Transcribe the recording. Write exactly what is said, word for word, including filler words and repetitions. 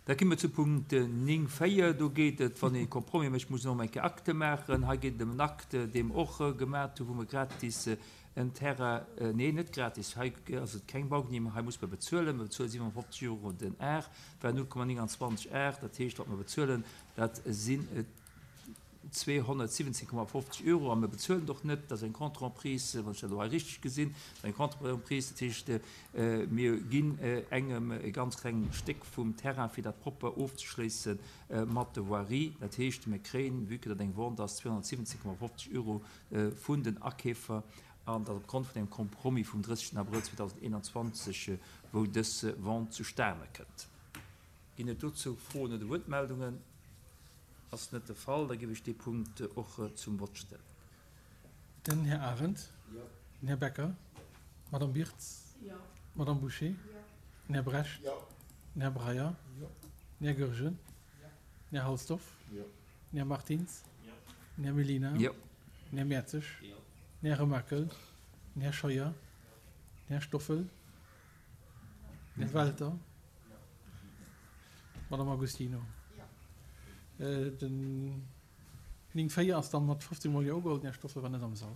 Da komme mer zu Punkt néng véier. Do geet et, wann ee Compromis mécht, muss een och eng Kéier Akte maachen. Hei geet et ëm en Acte, dee mer och gemat hunn, wou mer gratis en Terrain, nee, net gratis, hei ass et keng Baugenehmegung, hei muss mer bezuelen. Mer bezuele siwenfofzeg Euro den Ar, war null Komma nénganzwanzeg Ar. Dat heescht, wat mer bezuelen, dat sinn zweehonnertsiwwenzehn Komma fofzeg Euro. A mer bezuelen et och net, dat ass eng Contre-emprise, wann ech dat elo hei richteg gesinn, dat ass eng Contre-emprise, dat heescht, mir ginn engem e ganz klengt Stéck vum Terrain, fir dat propper ofzeschléisse mat de Voirie. Dat heescht, mir kréien, vue que dat eng Vente ass, zweehonnertsiwwenzehn Komma fofzeg Euro vun den Akeefer, an dat opgrond vun engem Compromis vum drëssegsten Abrëll zweedausendeenanzwanzeg, wou dës Vente zustane kënnt. Ginn et dozou Froen oder Wuertmeldungen? Ass net de Fall, da géif ech dee Punkt och zum Vott stellen. Den Här Arendt. Den Här Becker. D'Madame Birtz. D'Madame Bouché. Den Här Brecht. Den Här Breyer. Den Här Goergen. Den Här Halsdorf. Den Här Martins. Den Här Mellina. Den Här Mertzig. Den Här Remakel. Den Här Scheuer. Den Här Stoffel. Den Här Welter. D'Madame Agostino. Den néng véier ass dann mat fofzéng mol Jo ugeholl. Den Här Stoffel war net am Sall.